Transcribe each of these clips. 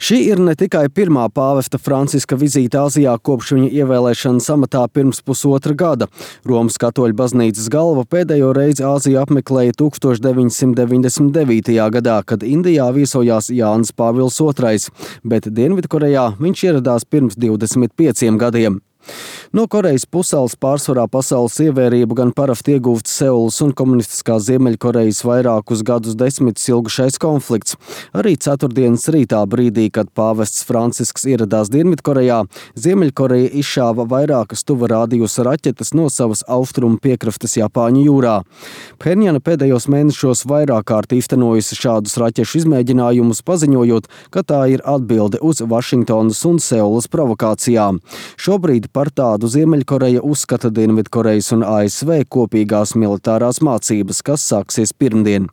Šī ir ne tikai pirmā pāvesta Franciska vizīte Āzijā kopš viņa ievēlēšanas amatā pirms pusotra gada. Romas katoļu baznīcas galva pēdējo reizi Āziju apmeklēja 1999. gadā, kad Indijā viesojās Jānis Pāvils II, bet Dienvidkorejā viņš ieradās pirms 25 gadiem. No Korejas pussalas pārsvarā pasaules ievērību gan parasti ieguvts Seulas un komunistiskās Ziemeļkorejas vairākus gadus desmitus ilgušais konflikts. Arī ceturtdienas rītā brīdī, kad pāvests Francisks ieradās Dienvidkorejā, Ziemeļkoreja izšāva vairākas tuva rādījusa raķetes no savas austrumu piekrastes Japāņu jūrā. Phenjana pēdējos mēnešos vairāk kārt īstenojusi šādus raķešu izmēģinājumus, paziņojot, ka tā ir atbilde uz Vašingtonas un Seulas provokācijām. Šobrīd par tādu Ziemeļkoreja uzskata Dienvidkorejas un ASV kopīgās militārās mācības, kas sāksies pirmdien.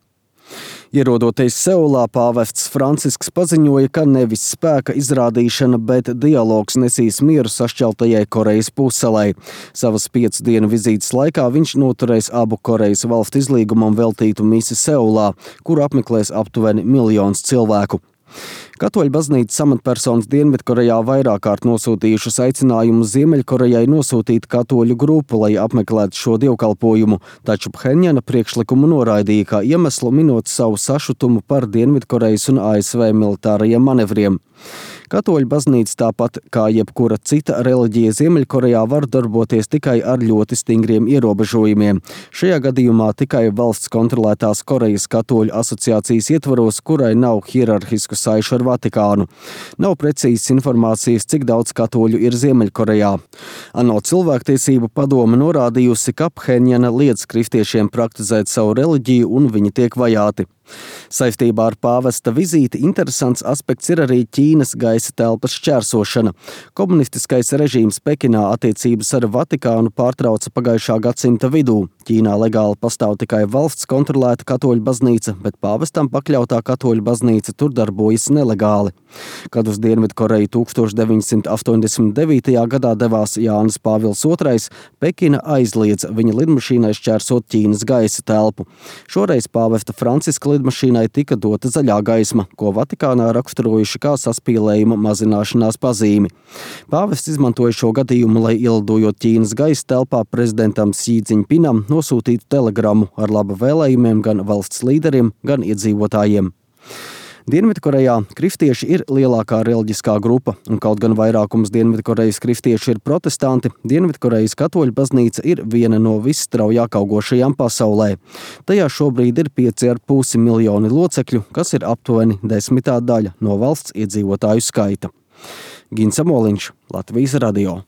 Ierodoties Seulā, pāvests Francisks paziņoja, ka nevis spēka izrādīšana, bet dialogs nesīs mieru sašķeltajai Korejas pussalai. Savas 5 dienu vizītes laikā viņš noturēs abu Korejas valstu izlīgumam veltītu misi Seulā, kuru apmeklēs aptuveni 1 miljons cilvēku. Katoļu baznīcas amatpersonas Dienvidkorejā vairāk kārt nosūtījušas aicinājumus Ziemeļkorejai nosūtīt katoļu grupu, lai apmeklētu šo dievkalpojumu, taču Phenjana priekšlikumu noraidīja kā iemeslu, minot savu sašutumu par Dienvidkorejas un ASV militārajiem manevriem. Katoļu baznīca tāpat kā jebkura cita reliģija Ziemeļkorejā var darboties tikai ar ļoti stingriem ierobežojumiem. Šajā gadījumā tikai valsts kontrolētās Korejas katoļu asociācijas ietvaros, kurai nav hierarhisku saišu ar Vatikānu. Nav precīzas informācijas, cik daudz katoļu ir Ziemeļkorejā. ANO cilvēktiesību padome norādījusi, ka Phenjana liedz kristiešiem praktizēt savu reliģiju un viņi tiek vajāti. Saistībā ar pāvesta vizīti interesants aspekts ir arī Ķīnas gaisa telpas šķērsošana. Komunistiskais režīms Pekinā attiecības ar Vatikānu pārtrauca pagājušā gadsimta vidū. Ķīnā legāli pastāv tikai valsts kontrolēta katoļu baznīca, bet pāvestam pakļautā katoļu baznīca tur darbojas nelegāli. Kad uz Dienvidkoreju 1989. gadā devās Jānis Pāvils II, Pekina aizliedza viņa lidmašīnai šķērsot Ķīnas gaisa telpu. Šoreiz pāvesta Franciska lidmašīnai tika dota zaļā gaisma, ko Vatikānā raksturojuši kā saspīlējuma mazināšanās pazīmi. Pāvests izmantoja šo gadījumu, lai ielidojot Ķīnas gaisa telpā prezidentam Xi Džiņpinam nosūtītu telegramu ar laba vēlējumiem gan valsts līderiem, gan iedzīvotājiem. Dienvidkorejā kristieši ir lielākā reliģiskā grupa, un kaut gan vairākums Dienvidkorejas kristiešu ir protestanti, Dienvidkorejas katoļu baznīca ir viena no visstraujāk augošajām pasaulē. Tajā šobrīd ir 5,5 miljoni locekļu, kas ir aptuveni 10. daļa no valsts iedzīvotāju skaita. Gins Amoliņš, Latvijas radio.